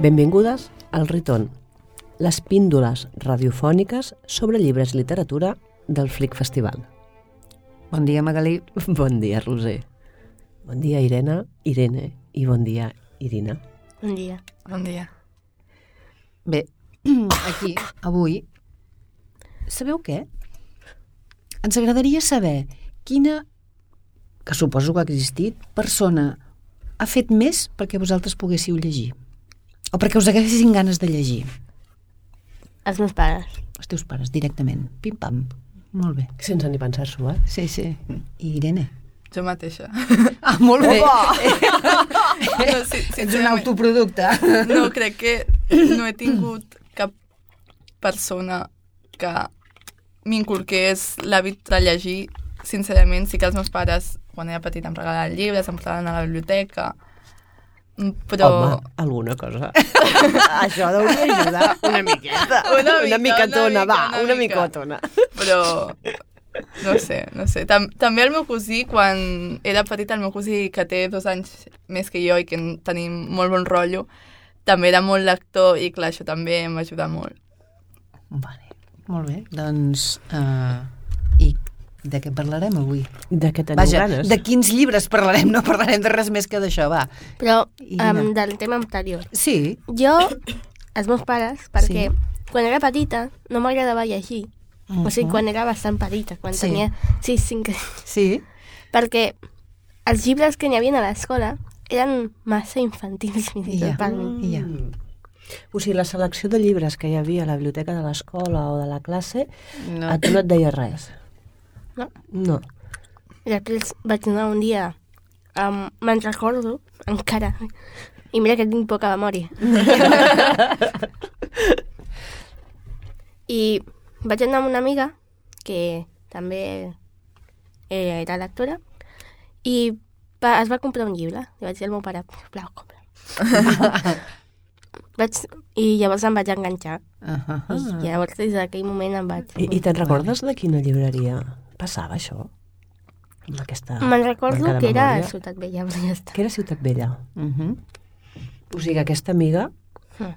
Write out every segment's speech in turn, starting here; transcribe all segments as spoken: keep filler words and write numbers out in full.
Benvingudes al Riton, les píndoles radiofòniques sobre llibres i literatura del Flic Festival. Bon dia, Magalí. Bon dia, Roser. Bon dia, Irene, Irene, i bon dia, Irina. Bon dia. Bon dia. Bé, aquí, avui, sabeu què? Ens agradaria saber quina, que suposo que ha existit, persona ha fet més perquè vosaltres poguéssiu llegir. O perquè us haguessin ganes de llegir. Els meus pares. Els teus pares, directament. Pim-pam. Molt bé. Sense ni pensar-s'ho, eh? Sí, sí. I Irene? Jo mateixa. Ah, molt bé. No, sí, Ets un autoproducte. No, crec que no he tingut cap persona que m'inculqués l'hàbit de llegir. Sincerament, sí que els meus pares, quan era petit, em regalaven llibres, em portaven a la biblioteca, però... Home, alguna cosa. Això deuria ajudar una miqueta. Una mica, una micatona, una va, mica, una una mica. micotona. Però... No sé, no sé. Tam també el meu cosí, quan era petit, el meu cosí, que té dos anys més que jo i que tenim molt bon rotllo, també era molt lector i, clar, això també em va ajudar molt. Vale, molt bé. Doncs, uh, i de què parlarem avui? De què teniu Vaja, ganes? de quins llibres parlarem? No parlarem de res més que d'això, va. Però Irina. um, del tema anterior. Sí. Jo, els meus pares, perquè Sí. quan era petita no m'agradava llegir. Uh -huh. O sigui, quan era bastant petita, quan Sí. tenia sis, cinc anys. Sí? Perquè els llibres que n'hi havia a l'escola eren massa infantils, fins i I ja. tot per mi. I ja. O sigui, la selecció de llibres que hi havia a la biblioteca de l'escola o de la classe, No. a tu no et deia res? No. No. I després vaig anar un dia, um, me'n recordo, encara, i mira que tinc poca memòria. I vaig anar amb una amiga, que també era lectora, i va, es va comprar un llibre. I vaig dir al meu pare, sisplau, compra. vaig, I llavors em vaig enganxar. Uh -huh. I llavors des d'aquell moment em vaig... I, i te'n recordes de quina llibreria passava això? Amb aquesta Me'n recordo manca de que era a memòria? Ciutat Vella, però ja està. Que era Ciutat Vella. Uh -huh. O sigui, aquesta amiga Mm.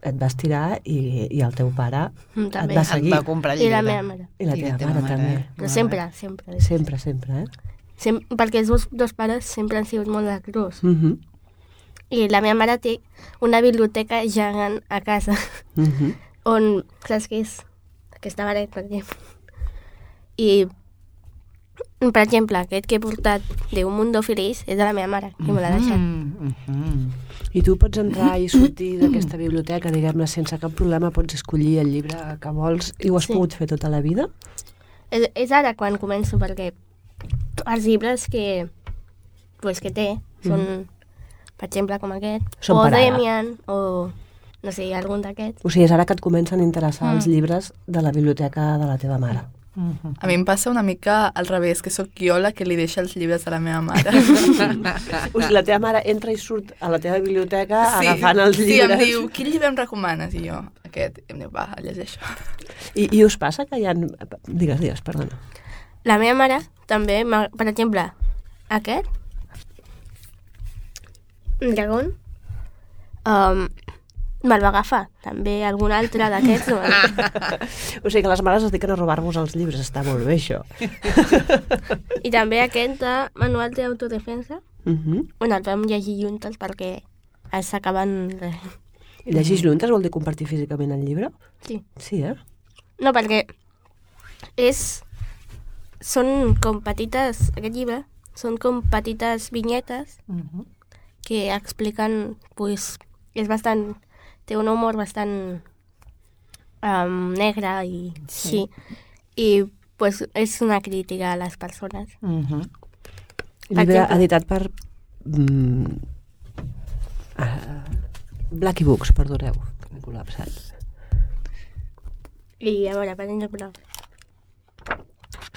et vas tirar i, i el teu pare Mm, et també. va Et seguir. va comprar I llibre. la meva mare. I la I teva, mare, també. Però sempre, sempre. Sempre, sempre, eh? Sem perquè els meus dos pares sempre han sigut molt lectors. Uh -huh. I la meva mare té una biblioteca gegant a casa, Uh -huh. on, saps què és? Aquesta paret, per exemple. I, per exemple, aquest que he portat de Un mundo feliç és de la meva mare, que me l'ha deixat. Mm -hmm. I tu pots entrar i sortir d'aquesta biblioteca, diguem-ne, sense cap problema, pots escollir el llibre que vols i ho has Sí. pogut fer tota la vida? És, és ara quan començo, perquè els llibres que, pues, que té són, mm. per exemple, com aquest, Són o per ara. Demian, o no sé, algun d'aquests. O sigui, és ara que et comencen a interessar Mm. els llibres de la biblioteca de la teva mare. Mm -hmm. A mi em passa una mica al revés, que sóc jo la que li deixa els llibres a la meva mare. O sigui, la teva mare entra i surt a la teva biblioteca agafant els sí, llibres. em diu, quin llibre em recomanes? I jo, aquest. I em diu, va, llegeixo. I, I us passa que hi ha... Digues, digues, perdona. La meva mare també, per exemple, aquest, un dragón, um, me'l va agafar. També algun altre d'aquests. No. O sigui que les mares es dediquen a robar-vos els llibres, està molt bé això. I també aquest de manual d'autodefensa, Uh -huh. on el vam llegir juntes perquè s'acaben... I llegir juntes vol dir compartir físicament el llibre? Sí. Sí, eh? No, perquè és... Són com petites... Aquest llibre són com petites vinyetes Mm -hmm. que expliquen, pues, és bastant... Té un humor bastant um, negre i sí. sí. I, pues, és una crítica a les persones. Mm -hmm. Llibre exemple. editat per... Mm, uh, Blacky Books, perdoneu, que m'he col·lapsat. I, a veure, per exemple...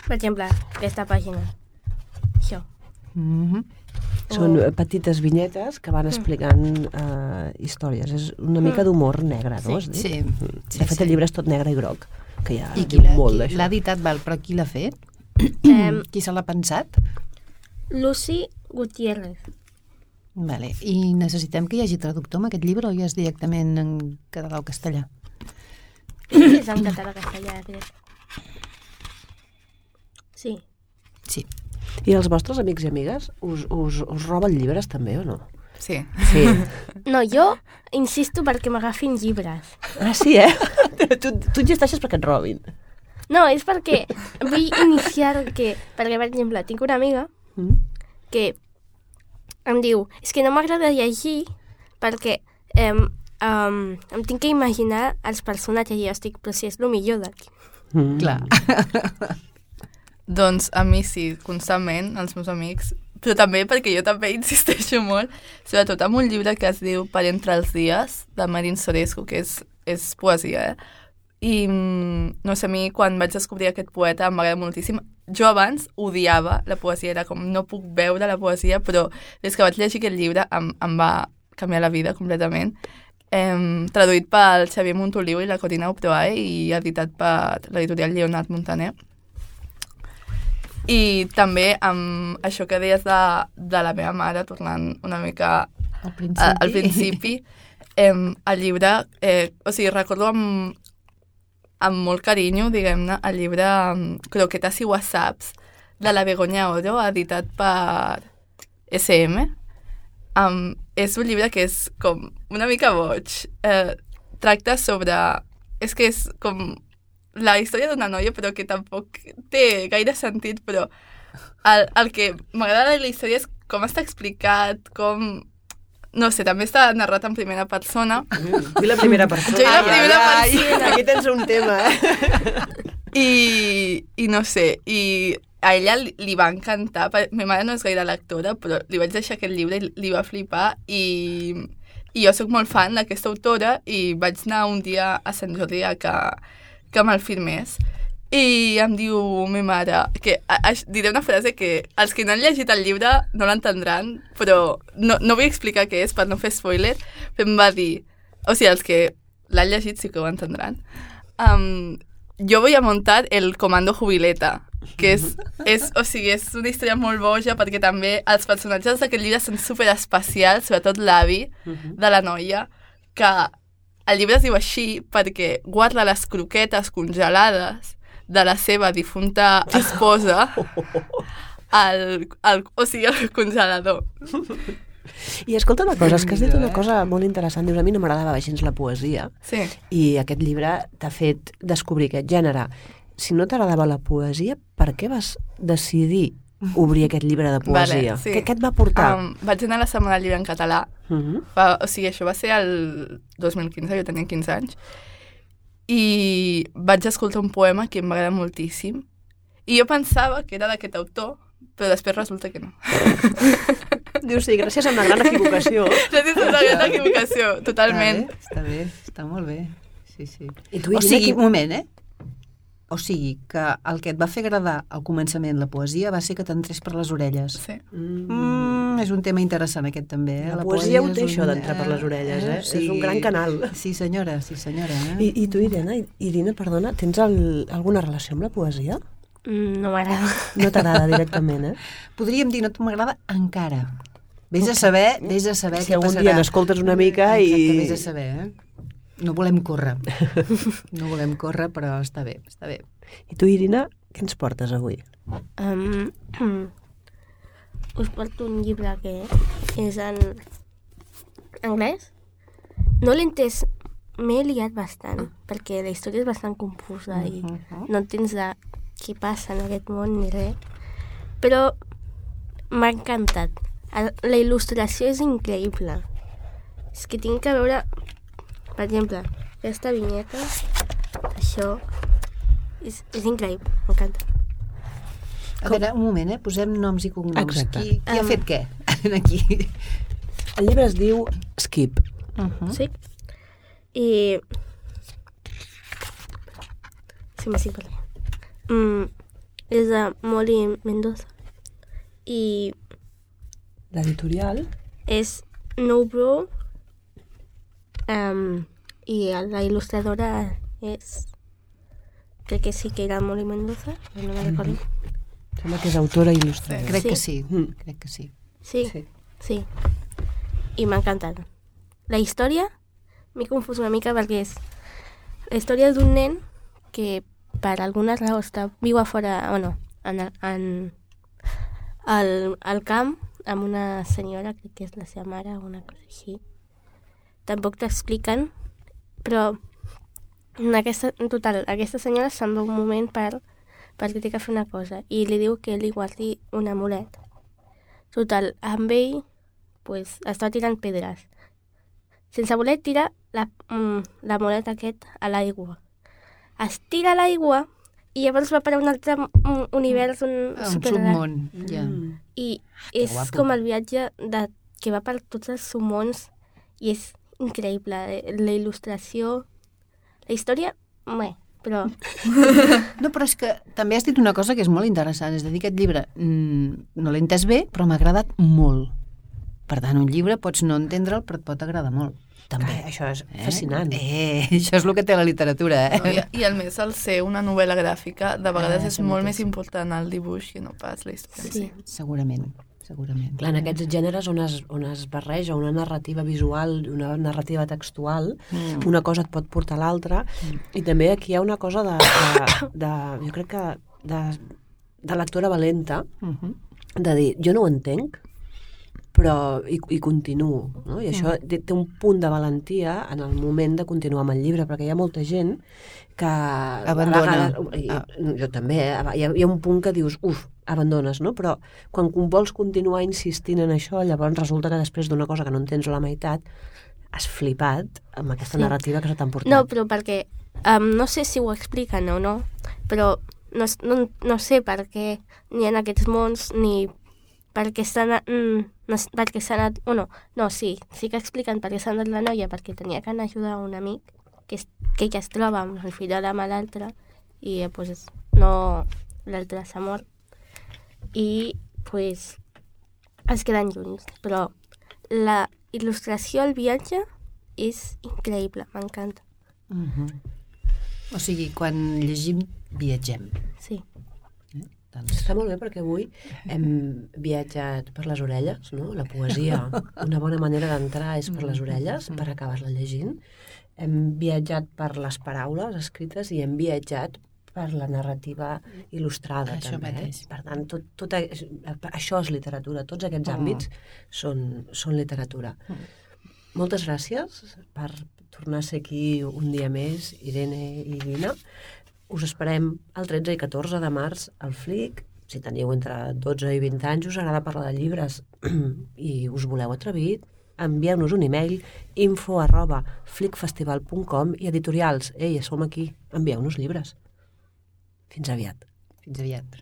Per exemple, aquesta pàgina. Això. Mm -hmm. Són O- petites vinyetes que van explicant uh, històries. És una mica d'humor negre, no? Sí, Has dit? sí. Mm. Sí, De fet, sí. el llibre és tot negre i groc, que ja I qui diu l'ha molt qui d'això. l'ha editat, val, però qui l'ha fet? Um, Qui se l'ha pensat? Lucy Gutiérrez. Vale. I necessitem que hi hagi traductor amb aquest llibre o ja és directament en català o castellà? És en català castellà, crec. Sí. Sí. I els vostres amics i amigues us, us, us roben llibres també o no? Sí. Sí. No, jo insisto perquè m'agafin llibres. Ah, sí, eh? tu, tu insisteixes perquè et robin. No, és perquè vull iniciar que... Perquè, per exemple, tinc una amiga Mm? que em diu és que no m'agrada llegir perquè em, em, em tinc que imaginar els personatges i jo estic, però si és el millor d'aquí. Mm. Clar. Doncs a mi sí, constantment, els meus amics, però també perquè jo també insisteixo molt, sobretot amb un llibre que es diu Per entre els dies, de Marin Sorescu, que és, és poesia, eh? I, no sé, a mi quan vaig descobrir aquest poeta em va agradar moltíssim. Jo abans odiava la poesia, era com no puc veure la poesia, però des que vaig llegir aquest llibre em, em va canviar la vida completament. Eh, traduït pel Xavier Montoliu i la Corina Uproae i editat per l'editorial Lleonard Montaner. I també amb això que deies de, de la meva mare, tornant una mica Al principi. a, al principi, eh, el llibre, eh, o sigui, recordo amb, amb molt carinyo, diguem-ne, el llibre um, Croquetes i Whatsapps de la Begoña Oro, editat per S M. Um, és un llibre que és com una mica boig. Eh, tracta sobre... És que és com la història d'una noia, però que tampoc té gaire sentit, però el, el que m'agrada de la història és com està explicat, com... No sé, també està narrat en primera persona. Vull la primera persona. Jo i la primera ai, persona. ai, aquí tens un tema, eh? I, i no sé, i a ella li, li va encantar. Ma mare no és gaire lectora, però li vaig deixar aquest llibre i li va flipar. I, i jo sóc molt fan d'aquesta autora i vaig anar un dia a Sant Jordi a que, que me'l firmés. I em diu ma mare, que a, a, diré una frase que els que no han llegit el llibre no l'entendran, però no, no vull explicar què és per no fer spoiler, però em va dir, o sigui, els que l'han llegit sí que ho entendran, um, jo voy a montar el Comando Jubileta, que és, és, o sigui, és una història molt boja perquè també els personatges d'aquest llibre són superespecials, sobretot l'avi de la noia, que el llibre es diu així perquè guarda les croquetes congelades de la seva difunta esposa al, al, o sigui, al congelador. I escolta una cosa, és que has dit una cosa molt interessant. Dius, a mi no m'agradava gens la poesia. Sí. I aquest llibre t'ha fet descobrir aquest gènere. Si no t'agradava la poesia, per què vas decidir obrir aquest llibre de poesia? Vale, sí. Què, què et va portar? Um, vaig anar a la Setmana del Llibre en català. Uh-huh. Va, o sigui, això va ser el dos mil quinze, jo tenia quinze anys. I vaig escoltar un poema que em va agradar moltíssim. I jo pensava que era d'aquest autor, però després resulta que no. Dius, sí, gràcies a una gran equivocació. Gràcies a una gran equivocació, totalment. Està bé, està bé, està molt bé. Sí, sí. I tu, O Irina, sigui, qui- un moment, eh? O sigui, que el que et va fer agradar al començament la poesia va ser que t'entrés per les orelles. Sí. Mm, és un tema interessant aquest també, eh? La poesia ho és té, un- això d'entrar per les orelles, eh? És un gran canal. Sí, senyora, sí, senyora. Eh? I, I tu, Irina, Irina, perdona, tens el, alguna relació amb la poesia? Mm, no m'agrada. No t'agrada directament, eh? Podríem dir, no m'agrada encara. Vés a saber, vés a saber Si què algun passarà. dia n'escoltes una mica i- Exacte, vés a saber, eh? No volem córrer. No volem córrer, però està bé, està bé. I tu, Irina, què ens portes avui? Um, us porto un llibre que és en anglès. No l'he entès, m'he liat bastant, perquè la història és bastant confusa i no entens de què passa en aquest món ni res. Però m'ha encantat. El- La il·lustració és increïble. És que tinc que veure, per exemple, aquesta vinyeta, això, és, és increïble, m'encanta. A veure, un moment, eh? Posem noms i cognoms. Exacte. Qui, qui ha Um, fet què? Aquí. El llibre es diu Skip. Uh -huh. Sí? I... Sí, m'estic parlant. Mm, és de Molly Mendoza. I L'editorial? és No Bro. Um, I la il·lustradora és... Crec que sí que era Molly Mendoza, però no me recordo. Sembla que és autora i il·lustradora. Crec Sí. que sí, Mm. crec que sí. Sí, Sí. sí. i m'ha encantat. La història m'he confós una mica perquè és la història d'un nen que per alguna raó està, viu a fora, o no, en, en al, al camp amb una senyora, crec que és la seva mare o una cosa així. Tampoc t'expliquen, però en, aquesta, en total, aquesta senyora se'n va un moment per, perquè té que fer una cosa i li diu que li guardi un amulet. Total, amb ell pues, està tirant pedres. Sense voler tirar l'amulet aquest a l'aigua. Es tira a l'aigua i llavors va per a un altre un univers, un, un submón. Ja. I és guapo. com el viatge de, que va per tots els submons i és increïble. La il·lustració, la història, bé, però... No, però és que també has dit una cosa que és molt interessant. És a dir, aquest llibre mm, no l'he entès bé, però m'ha agradat molt. Per tant, un llibre pots no entendre'l, però et pot agradar molt. També, ah, això és fascinant. Eh, eh, això és el que té la literatura, eh? No, i, I a més, el ser una novel·la gràfica, de vegades Ah, és això molt mateix. més important el dibuix que no pas la història. Sí. Segurament, segurament. Clar, en aquests gèneres on es, on es barreja una narrativa visual i una narrativa textual, mm. una cosa et pot portar a l'altra, mm. i també aquí hi ha una cosa de, de, de jo crec que de, de lectora valenta, Uh-huh. de dir, jo no ho entenc, però i, i continuo, no? I això té, té un punt de valentia en el moment de continuar amb el llibre, perquè hi ha molta gent que... Abandona. A vegades, i, jo també, eh? hi, ha, hi ha un punt que dius, uf, abandones, no? Però quan vols continuar insistint en això, llavors resulta que després d'una cosa que no entens a la meitat, has flipat amb aquesta Sí. narrativa que se t'ha emportat. No, però perquè um, no sé si ho expliquen o no, però no, no, no sé per què ni en aquests mons ni perquè s'ha anat... Mm, no, perquè s'ha anat... O no, no, sí, sí que expliquen perquè s'ha anat la noia, perquè tenia que anar a ajudar un amic que, es, que ella es troba amb el fill de l'altre i eh, pues, no... l'altre s'ha mort. I pues, es queden junts. Però la il·lustració al viatge és increïble, m'encanta. Uh-huh. O sigui, quan llegim, viatgem. Sí. Eh? Doncs... Està molt bé perquè avui hem viatjat per les orelles, no? La poesia, una bona manera d'entrar és per les orelles, per acabar-la llegint. Hem viatjat per les paraules escrites i hem viatjat per la narrativa il·lustrada, Això també. mateix. Per tant, tot, tot, això és literatura. Tots aquests Oh. àmbits són, són literatura. Moltes gràcies per tornar a ser aquí un dia més, Irene i Nina. Us esperem el tretze i catorze de març al Flic. Si teniu entre dotze i vint anys, us agrada parlar de llibres i us voleu atrevit, envieu-nos un e-mail info arroba flicfestival punt com i editorials. Ei, som aquí, envieu-nos llibres. Fins aviat. Fins aviat.